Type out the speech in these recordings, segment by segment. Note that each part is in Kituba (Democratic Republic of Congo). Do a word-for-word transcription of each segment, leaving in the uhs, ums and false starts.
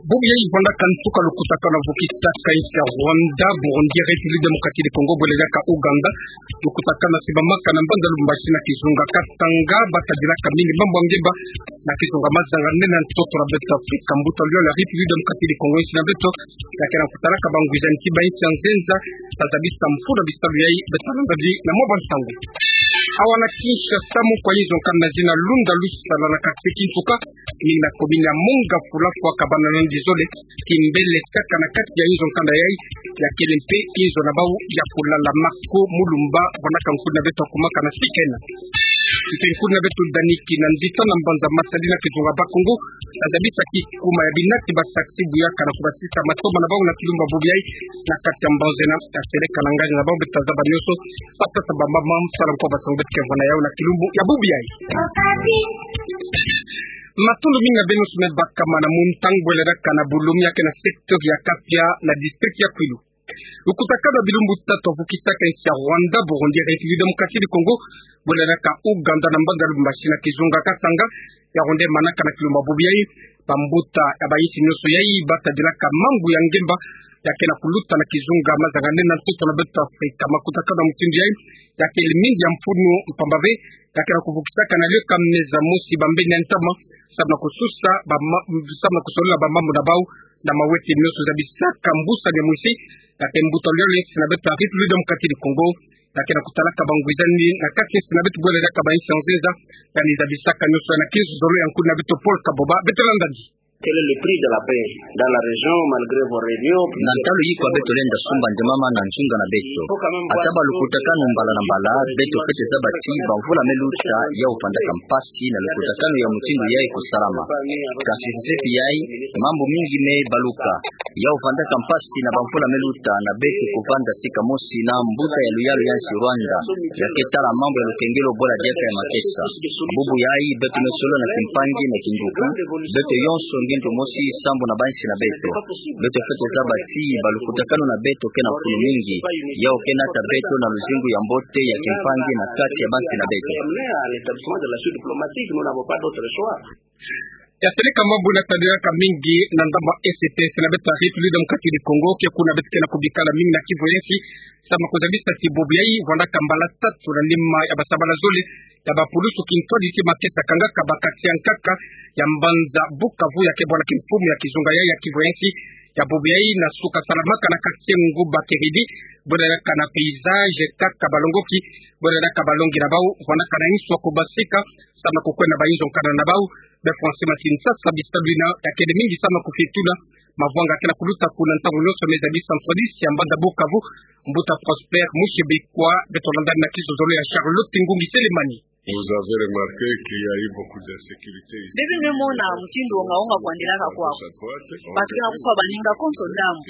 Bobi yayi vwandaka nsuka lukutakanu ya vukisaka insi ya Rwanda, Burundi, République Démocratique du Congo, bwele diaka Ouganda. Lukutakanu ya simbamaka na mbanza Lubumbashi na kizunga Katanga, bata dilaka mingi mambu ya ngemba na kizunga mazanga nene ya ntoto na beto Afrika. Mbuta luyalo ya République Démocratique du Congo, insi na beto, ya ke na kutalaka bangwiza nti ba insi ya nzenza, ta zabisa mfunu ya bisalu yayi, beto landa di na mwa bansangu. Awa na Kinshasa, mukwa inzo nkanda zina Lunda Lusala na quartier Kinsuka, ni na commune ya Mongafula, fwa kabana na nzizole, kimbele tiaka na kati ya inzo nkanda yayi, ya kele mpe inzo na bau ya kulala. Marco Mulumba, vwandaka nkundi na beto, akumaka na sikena. Mpe nkundi na beto Dani Kinanzita na mbanza Matadi na kizunga Bakongo, ta zabisa kikuma ya binati ba taxi buyaka na kubasisa matoma na bau na kilumbu ya bobi yayi, na kati ya mbanza ena, ta seleka na ngani na bau, beto ta zaba nyonso, sa tata ba mama, sala nkwa ba sangu beto ke vwanda yau na kilumbu ya bobi yayi. Matondo mingi na beno nyonso me bakama na muntang, bwele diaka na Bulumi, ya ke na secteur ya Kapia na district ya Kwilu. Lukutakanu ya bilumbu tatu ya vukisaka insi ya Rwanda, Burundi, République Démocratique du Congo, bwele diaka Ouganda na mbanza Lubumbashi na kizunga Katanga, ya ronde manaka na kilumbu ya bobi yayi. Bambuta ya ba insi nyonso yayi, bata dilaka mambu ya ngemba, ya ke na kuluta na kizunga mazanga nene ya ntoto na beto Afrika. Makutakanu ya mutindu yayi, ya kele mingi ya mfunu, mpamba ve, ya ke na kuvukisaka na leka meza mosi bambeni ya ntama, samu na kususa ba ma-, samu na kusolola ba mambu na bau na mawete nyonso. Zabisaka mbusa ya mwisi, ya ke mbuta luyalo ya insi na beto ya République Démocratique du Congo, ya ke na kutalaka bangwizani na kati ya insi na beto, bwele diaka ba insi ya nzenza, ya ni zabisaka nyonso na kinzolo ya nkundi na beto Paul Kaboba. Beto landa di. Quel est le prix de la paix dans la région malgré vos réunions? Na ntalu yikwa beto lenda sumba nde mama na nzunga na beto? Ata ba lukutakanu mbala na mbala, beto fwete zaba ti ba mvula me luta, yau fwandaka mpasi na lukutakanu ya mutindu yayi kusalama. Kasi sepi yayi, mambu mingi me baluka. Yau fwandaka mpasi na ba mvula me luta, na beto kuvanda sika mosi na mbuta ya luyalo ya insi Rwanda, ya ke tala mambu ya lukengelo bwele diaka ya makesa. Bubu yayi, beto me solola na kimpangi na kinduku, beto yonso ngindu mosi sambu na ba insi na beto. Beto fwete zaba ti ba lukutakanu na beto ke na mfunu mingi, yau ke nata beto na luzingu ya mbote ya kimpangi na kati ya ba insi na beto. Ya seleka mambu na tadilaka mingi na ndambu ya S T S na beto ya République Démocratique du Congo, ke kuna beto ke na kubikala mingi na kivu ya insi, samu na kuzabisa ti bubu yayi vwandaka mbala tatu na nima ya basabala zole ya bapulusu kintwadi ti makesa kangaka ba quartier ya nkaka ya mbanza Bukavu, ya ke bwala kimfumu ya kizunga yayi ya kivu ya insi. Ya bubu yayi na suka salamaka na quartier Nguba Kiridi, bwele diaka na Paysage, kaka balongoki, bwele diaka balongi na bau, vwandaka na insu ya kubasika, samu na kukwenda ba inzo nkanda na bau. Be François Matinsa, sa bisalu bina, ya kele mingi samu na kufitula mavwanga ke na kuluta kuna ntangu nyonso, me zabisa nswadisi ya mbanza Bukavu, mbuta Prosper Mushibikwa. Beto landa na kizozolo ya Charlotte Ngungi Selemani. Vous avez remarqué qu'il y a eu beaucoup d'insécurité ici. Beno me mona mutindu wonga wonga kwandilaka kwaku. Bato ke na kufwa baninga konso ndambu.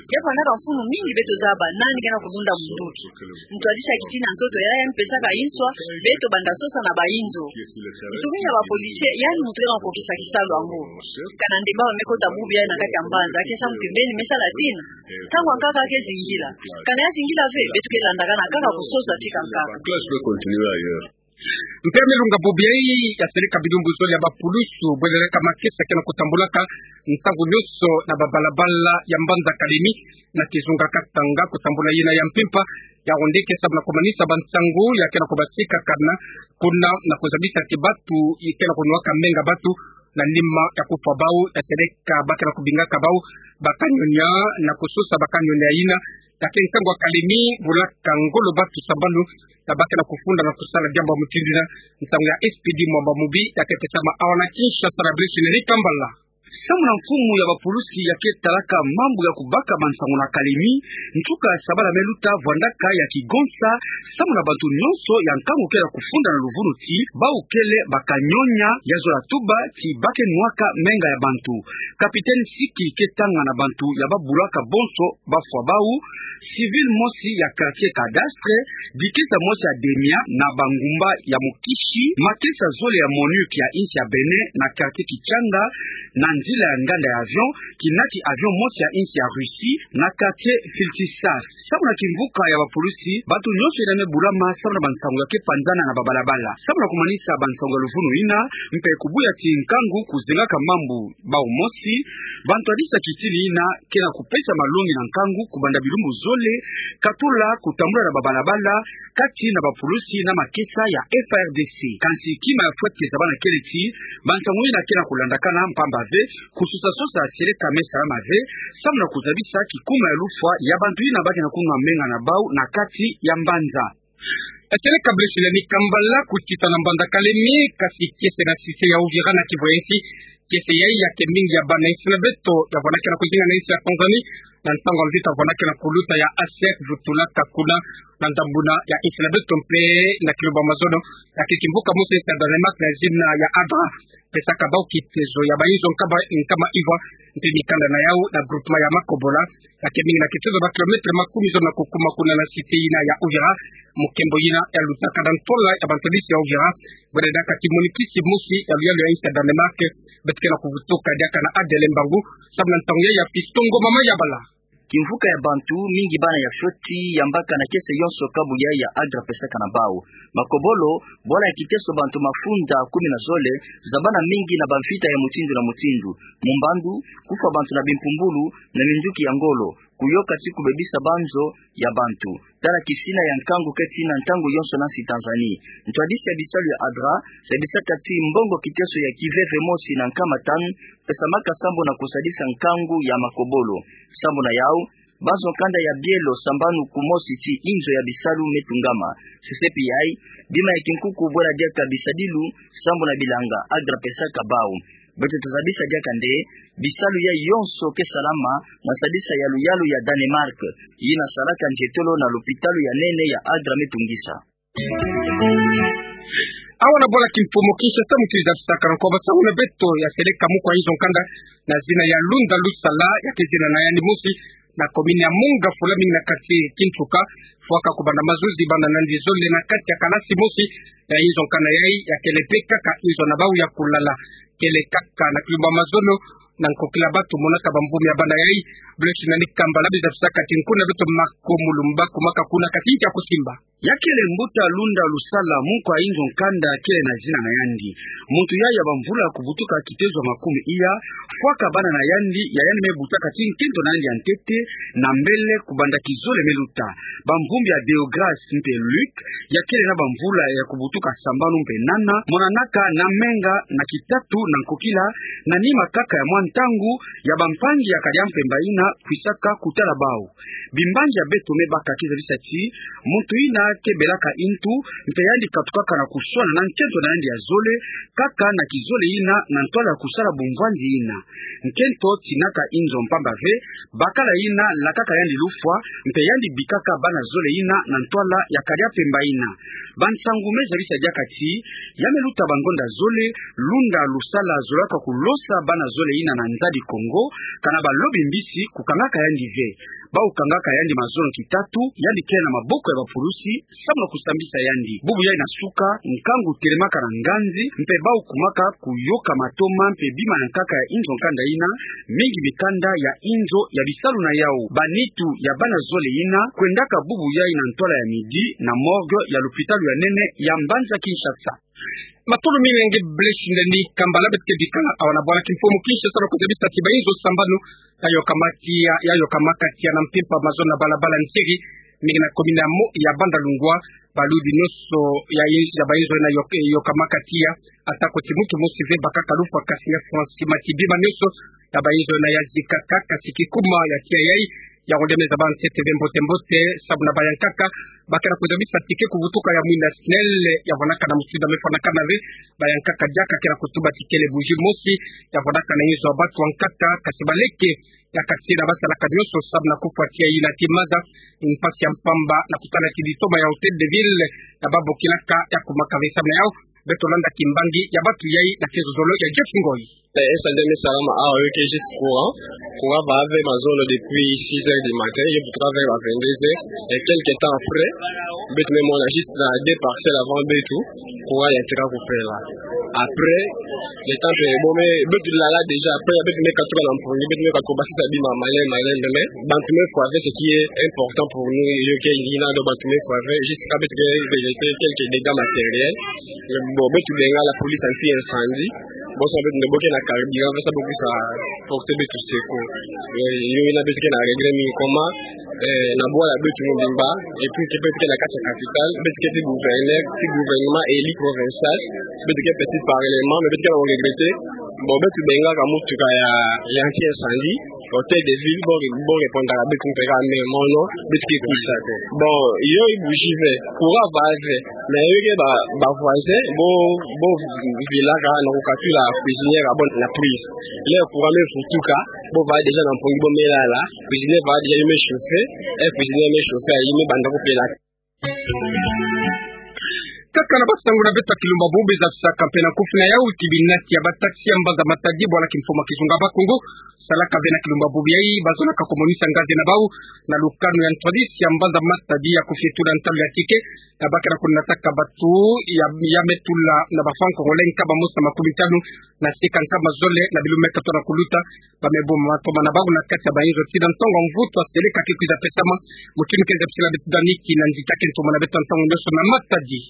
Ke fwanaka mfunu mingi beto zaba nani ke na kulunda munduki. Ntwadisi ya kitina ntoto yayi ya ni pesaka insu, beto banda sosa na ba inzo. Mutu mingi ya ba policiers, yandi mutu ke na kukokisa kisalu yango. Kana nde ba me kota bubu yayi na kati ya mbanza, ke samu ti mbeni me sala tina. Ntangu ya nkaka ke zingila. Kana ya zingila ve, beto ke landa kana kaka kusosa tika nkaka. Classe peut continuer ailleurs. Mpe me lunga bubu yayi, ya seleka bilumbu zole ya bapulusu, bwele diaka makesa ke na kutambulaka ntangu nyonso na babalabala ya mbanza Kalemi, na kizunga Katanga, kutambula yina ya mpimpa, ya ronde ke samu na kumanisa bansangu ya ke na kubasika kana kuna, na kuzabisa ti batu ke na kunwaka menga batu, na nima ya kufwa bau, ya seleka ba ke na kubingaka bau ba kanyonya, na kusosa ba kanyonya yina, ya ke nsangu ya Kalemi, bulaka ngolo batu sambanu, ya ba ke na kufunda na kusala diambu ya mutindu yina. Nsangu ya S P D Mwamba Mubi, ya ke pesama awa na Kinshasa na Brice Henri Kambala. Samu na mfumu ya bapulusi ya ke talaka mambu ya kubaka bansangu na Kalemi, nsuka ya sabala me luta vwandaka ya kigonsa, samu na bantu nyonso ya nkangu ke na kufunda na luvunu ti bau kele ba kanyonya, ya zola tuba ti ba ke nwaka menga ya bantu. Capitaine Siki ke tanga na bantu ya ba bulaka bonso ba fwa bau, civil mosi ya quartier Cadastre, dikesa mosi ya Demia na bangumba ya Mukishi, makesa zole ya MONUC ya insi ya Bénin na quartier Kichanga, na nzila ya nganda ya avion, kinati avion mosi ya insi ya Russie, na quartier Filtsisas. Samu na kimvuka ya bapulusi, bantu nyonso ina me bulama samu na bansangu ya ke panzana na babalabala. Samu na kumanisa bansangu ya luvunu ina, mpe kubuya ti nkangu kuzengaka mambu bau mosi, bantu ya disa kitini ina ke na kupesa malongi na nkangu kubanda bilumbu zole, katula kutambula na babalabala, kati na bapulusi na makesa ya F A R D C. Kansi kima ya fweti zabana kele ti, bansangu ina ke na kulandakana mpamba ve, kusosasosa seleka me salama ve, samu na kuzabisa kikuma ya lufwa ya bantu ina ba ke na kunwa menga na bau na kati ya mbanza. Seleka Blaise Nani Kambala kutita na mbanza Kalemie, kasi kiese na cité ya Uvira na kivu ya insi, kiese yayi ya ke mbingi ya bana insi na beto ya vwanakana kuzinga na insi ya Tanzanie, na ntangu ya mvita vwanakana kuluta ya A S E C vutulaka kuna na ndambuna ya insi na beto mpe na kilumbu ya mazono ya ke kimvuka mosi insi ya Danemark na zina ya Adra. Pesaka bau kitezo ya bainzo nkama, nkama ivwa, mpe mikanda na yau na groupement ya Makobola, ya ke mbingi na kitezo ba kilomètre makumi zono na kukuma kuna na cité ina ya Uvira, mu nkembo ina ya lutaka na ntwala ya bantu ya bisi ya Uvira, bwena diaka ti monikisi mosi ya luyalu ya insi ya Danemark, beto ke na kuvutuka diaka na Adèle Mbangu, samu na ntangu ya ya pistongo mama ya bala. Kimvuka ya bantu, mingi bana ya fioti, ya mbaka na kiese yonso kabu yayi ya Adra pesaka na bau. Makobolo, bwala ya kiteso bantu mafunda kumi na zole, zabana mingi na bamfita ya mutindu na mutindu. Mu mbandu, kufwa bantu na bimpumbulu, na minduki ya ngolo, kuyoka ti kubebisa banzo ya bantu. Tala kisina ya nkangu keti na ntangu yonso na nsi Tanzanie. Ntwadisi ya bisalu ya Adra, sadisaka ti mbongo kiteso ya kiveve mosi na nkama tanu, pesamaka sambu na kusadisa nkangu ya Makobolo. Sambu na yau, banzo nkanda ya bielo sambanu kumosi ti inzo ya bisalu me tungama. Sesepi yayi, bima ya kinkuku bwela diaka bisadilu, sambu na bilanga Adra pesaka bau. Beto tazabisa diaka nde, bisalu yayi yonso ke salama, na sadisa ya luyalu ya Danemark, yina salaka nzietolo na lupitalu ya nene ya Adra me tungisa. Awa na bwala kimfumu Kinshasa, muntu zabisaka na nkwa basangu na beto ya seleka mukwa inzo nkanda na zina ya Lunda Lusala, ya ke zina na yandi mosi, na commune ya Monga, fula mingi na quartier Kintuka, fwaka kubanda mazuzi banda na nzizole na kati ya kalasi mosi ya inzo nkanda yayi, ya kele mpe kaka inzo na bau ya kulala. Kele kaka na kilumbu ya mazono, na nkokila batu monaka bamvumi ya bana yayi. Blaise Nani Kambala, bi zabisaka ti nkuna beto Mako Mulumba kumaka kuna, kasi nki ya kusimba. Ya kele mbuta Lunda Lusala, mukwa inzo nkanda kele na zina na yandi. Muntu yayi ya bamvula kubutuka kitezo ya makumi iya, fwaka bana na yandi, ya yandi me butaka ti nkento na yandi ya ntete, na mbele kubanda kizole me luta. Bamvumbi ya Deograce mpe Luc, ya kele na bamvula ya kubutuka sambanu mpe nana, monanaka na menga na kitatu na nkokila, na nima kaka ya mwa ntangu, ya bampangi ya Kadiampemba ina kwisaka kutala bau. Bimbangi ya beto me baka ke zabisa ti, muntu ina ke belaka intu, mpe yandi katukaka na kuswana na nkento na yandi ya zole, kaka na kizole ina na ntwala ya kusala bumvwandi ina. Nkento tinaka inzo mpamba ve, bakala ina lakaka yandi lufwa, mpe yandi bikaka bana zole ina na ntwala ya Kadiampemba ina. Bansangu me zabisa diaka ti, ya me luta bangonda zole, Lunda Lusala zolaka kulosa bana zole ina na Nzadi Kongo, kana balobi mbisi kukangaka yandi ve. Bau kangaka yandi mazono kitatu, yandi kele na maboko ya bapulusi, samu na kusambisa yandi. Bubu yayi na suka, nkangu telemaka na nganzi, mpe bau kumaka kuyoka matoma mpe bima ya nkaka ya inzo nkanda ina, mingi mikanda ya inzo ya bisalu na yau. Banitu ya bana zole ina, kwendaka bubu yayi na ntwala ya midi, na morgue ya lupitalu ya nene ya mbanza Kinshasa. Matondo mingi na nge Blaise Nani Kambala. Beto ke bikala awa na bwala kimfumu Kinshasa na kuzabisa ti bainzo sambanu ya yokamaka tiya, ya yokamaka tiya na mpimpa mazono na balabala Nziri, mingi na commune ya Mo-, ya Bandalungwa, balubi nyonso ya, ya bainzo na yok-, yokamaka tiya, atako ti muntu mosi ve bakaka lufwa, kasi ya fwa nsima ti bima nyonso ya bainzo na ya zikaka, kasi kikuma ya tiya yayi, ya ngonde me zaba nsete ve mbote mbote, samu na bayankaka ba ke na kuzabisa ti ke kubutuka ya mwinda SNEL, ya vwanakana mutindu me fwanakana ve, bayankaka diaka ke na kutuba ti kele bougie mosi ya vwanakana inzo ya batu ya nkaka, kasi baleke ya kati na basalaka nyonso samu na kufwa tiya ina ti maza, mpasi ya mpamba na kutala ti litoma ya Hôtel de Ville ya babokilaka ya kumaka ve. Samu na yau, beto landa kimbangi ya batu yayi na kizololo ya Jeff Ngoyi. Eh, eh, incendie me salama awa, yo ke juste courant. Courant va ve mazono depuis six heures du matin, yo butuka vers la vingt-deux heures. Et quelque temps après, Beto me mona juste na deux parcelles avant beto, courant ya tika kupela. Après, le temps que bon, mais beto lala déjà, après beto me katuka na mpongi, beto me katuka basisa bima male male, mais, mais bantu me fwa ve, ce qui est important pour nous, yo ke yina do bantu me fwa ve, jusqu'à beto ke vérifier quelques dégâts matériels. Bon, beto benga la police anti-incendie. Bon, ça beto ne boke na carburant, ça boke sa porter beto secours. Eh, yo yina beto ke na regret mingi comment, eh, na bwala beto mobimba, et puis ke beto ke na kati ya capitale, beto ke ti gouverneur, ti gouvernement élu provincial, beto ke petit parlement, mais beto ke na regretter. Bon, beto bengaka motuka ya, ya anti-incendie, hôtel de ville, bon, bon, répondre à beto, mais mono, beto ke kuisa te. Bon, yo i bougie ve, courant va ve, mais yo ke ba, ba voisin, bo, bo vilaka na kukatula cuisinière ya bo na prise. Le courant me vutuka, bo va déjà na mpongi bo me lala, cuisinière va déjà me chauffer, eh, cuisinière me chauffer, yo me banda kupela. Kaka na basangu na beto ya Kilumba Bubi za saka mpe na nkufi na yau, kibinati ya ba taxi ya mbanza Matadi, bwala kimfumu ya kizunga Bakongo, salaka ve na Kilumba Bubi yayi, bazolaka komonisa ngazi na bau na lukanu ya ntwadisi ya mbanza Matadi ya kufietu na ntalu ya ticket, ya bakana kunataka bato ya, ya me tula na ba francs congolais nkama mosi na makumi tanu na sika nkama zole na bilumeta tona kuluta. Ba me boma mantoma na bau na kati ya bayinzo ti na ntongo mvutu ya seleka ke kwiza pesama. Mutindu ke nzepsila beto Daniki na Nzita ke ntoma na beto ya ntangu nyonso na Matadi.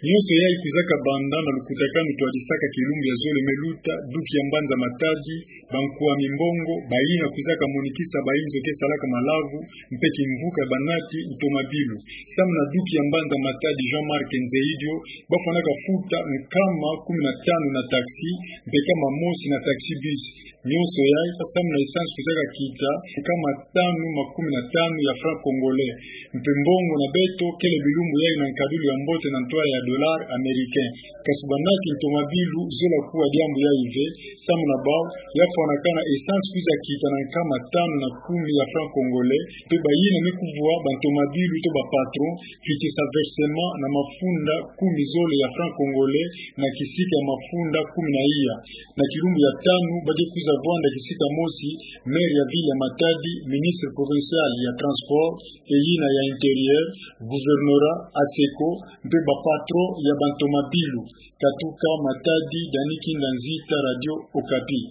Nyonso yayi kwizaka banda na lukutakanu twadisaka kilumbu ya zole me luta, duki ya mbanza Matadi, bankwami mbongo, bayina kwizaka monikisa bayinzo ke salaka malavu, mpe kimvuka ya banati ntomabilu. Samu na duki ya mbanza Matadi Jean-Marc Nzeidio, bafwanaka futa nkama kumi na tanu na taxi, mpe nkama mosi na taxi bus. Nyonso yayi, samu na essence kwizaka kita nkama tanu makumi na tanu ya francs congolais. Mpe mbongo na beto, kele bilumbu yayi na nkadilu ya mbote na ntwala ya dollar américain. Kasi banati ntomabilu zola kuwa diambu yayi ve, samu na bau, ya fwanakana essence kwiza kita na nkama tanu na kumi ya francs congolais, mpe bayina me kuvwa bantomabilu to ba patron, kitisa versement na mafunda kumi zole ya francs congolais na kisika ya mafunda kumi na iya. Na kilumbu ya tanu, ba ke kwiza vwanda kisika mosi, maire ya ville ya Matadi, ministre provincial ya transport, eyina ya intérieur, gouvernorat, ATSECO, mpe ba patron ya bantomabilu. Katuka Matadi, Daniki na Nzita, Radio Okapi.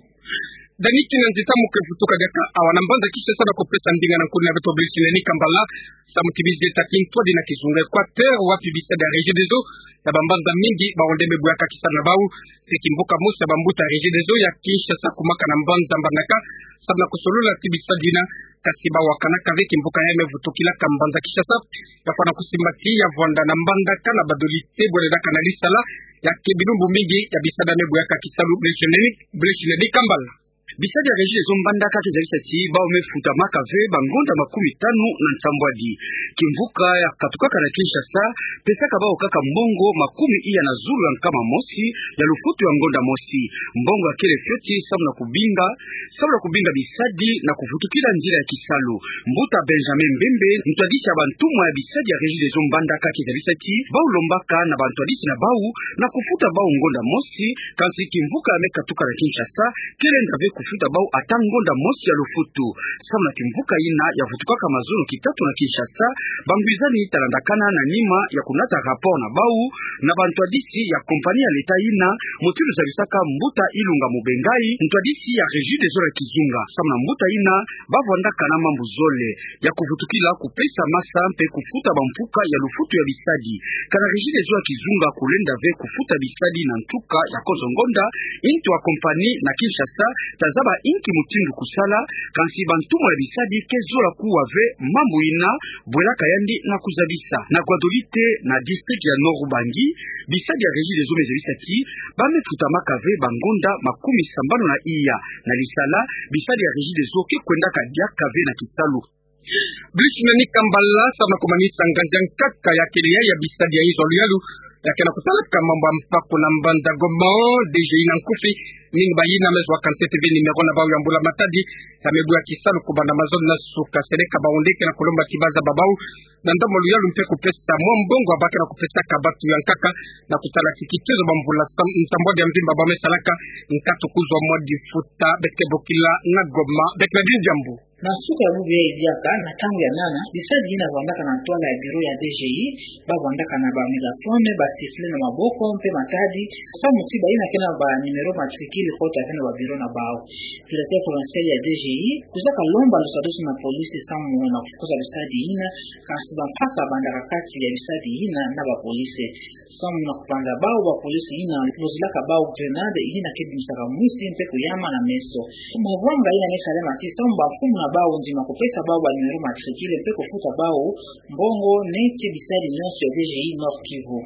Daniki na Nzita, mu ke vutuka diaka awa na mbanza Kinshasa na kupesa ndinga na nkuni na beto Brice Neni Kambala, samu ti bizi eta kintwadi na kizunga Equateur, wapi bisadi ya Regideso ya bambanza mingi, bawu nde me bweyaka kisalu na bau. Se kimvuka mosi ya bambuta ya Regideso ya Kinshasa kumaka na mbanza Mbandaka, samu na kusolula ti bisadi yina, kasi bawakanaka ve kimvuka yayi me vutukilaka mbanza Kinshasa, ya fwana kusimba ti ya vwanda na Mbandaka na badolite bwele daka na lisala, ya ke bilumbu mingi ya bisadi ya me bweyaka kisalu. Brice Neni, Brice Neni Kambala. Bisadi ya Regideso Mbandaka ke zalisa ti bau me futamaka ve bangonda makumi tanu na nsambwadi. Kimvuka ya katukaka na Kinshasa pesaka bau kaka mbongo makumi iya na zulu ya nkama mosi ya lufutu ya ngonda mosi. Mbongo ya kele fioti samu na kubinga, samu na kubinga bisadi na kuvutukila nzila ya kisalu. Mbuta Benjamin Mbembe, ntwadisi ya bantumwa ya bisadi ya Regideso Mbandaka ke zalisa ti bau lombaka na bantwadisi na bau na kufuta bau ngonda mosi, kansi kimvuka ya me katuka na Kinshasa ke lenda ve kufuta bau ata ngonda mosi ya lufutu. Samu na kimvuka yina ya vutukaka mazono kitatu na Kinshasa, bangwizani ta landakana na nima ya kunata rapport na bau na bantwadisi ya compagnie ya l'État yina, mutindu zalisaka mbuta Ilunga Mubengai, ntwadisi ya Regideso ya kizunga. Samu na mbuta yina, ba vwandaka na mambu zole ya kuvutukila kupesa masa mpe kufuta bamfuka ya lufutu ya bisadi. Kana Regideso ya kizunga kulenda ve kufuta bisadi na ntuka ya konso ngonda, ntu ya compagnie na Kinshasa ta zaba inki mutindu kusala, kansi bantumwa ya bisadi ke zola kuwa ve mambu yina, bwelaka yandi na kuzabisa. Na Guadolite, na district ya Nord-Ubangi, bisadi ya Regideso me zabisa ti ba me futamaka ve bangonda makumi sambanu na iya. Na lisala, bisadi ya Regideso ke kwendaka diaka ve na kisalu. Brice Neni Kambala, samu na kumanisa nganzi ya nkaka ya kele ya bisadi ya inzo ya luyalu ya ke na kusalaka mambu ya mpaku na mbanza Goma, D G I na nkufi, mingi bayina me zwa ka nsete ve numéro na bau ya mbula-matadi, ya me bweyaka kisalu kubanda mazono na suka. Seleka bau nde ke na kulomba ti ba zaba bau na ndambu ya luyalu mpe kupesa mwa mbongo ya ba ke na kupesaka batu ya nkaka, na kusala ti kitezo bamvula sam-, nsambwadi ya mvimba ba me salaka, nkatu kuzwa mwa difuta. Beto ke bokila na Goma, beto na diambu. Na suka ya bubu yayi diaka, na ntangu ya nana, bisadi yina bavwandaka na ntwala ya bureau ya DGI, bavwandaka na ba mégaphone, ba sifflet na maboko, mpe matadi, samu ti bayina ke na ba numéro matricule kota ve na ba bureau na bawu. Directeur provincial ya DGI kwizaka lomba lusadusu na police samu na kufukuza bisadi yina, kansi bampaka bandaka kati ya bisadi yina na ba police. Samu na kupanza bawu, ba police yina lozolaka bawu grenade yina ke bimisaka mwisi mpe kuyama na meso. Mavwanga yina me salema ti samu bamfumu na bawu ndima kupesa bawu ba numéro matricule mpe kufuta bawu mbongo neti bisadi nyonso ya DGI Nord-Kivu.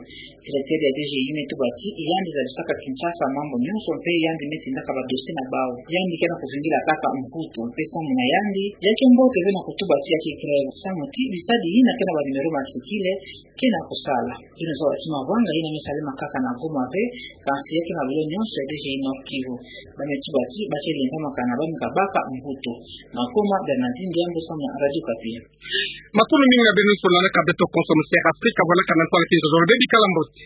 Directeur ya DGI me tuba ti yandi zabisaka Kinshasa mambu nyonso mpe yandi me tindaka ba dossier na bawu. Yandi ke na kuvingila kaka mvutu mpe samu na yandi, ya ke mbote ve na kutuba ti ya ke grève samu ti bisadi yina ke na ba numéro matricule ke na kusala. Beno zaba ti mavwanga yina me salema kaka na Goma ve, kansi ya ke na bureau nyonso ya DGI Nord-Kivu. Ba me tuba ti ba ke lembamaka na ba me kabaka mvutu. Na Goma, Bernardine Diambu samu na Radio Okapi. Matondo mingi na beno lutona na ka beto konso mu Sud Afrika, bwana kana ntwala kinzo zolo, beno bikala mbote.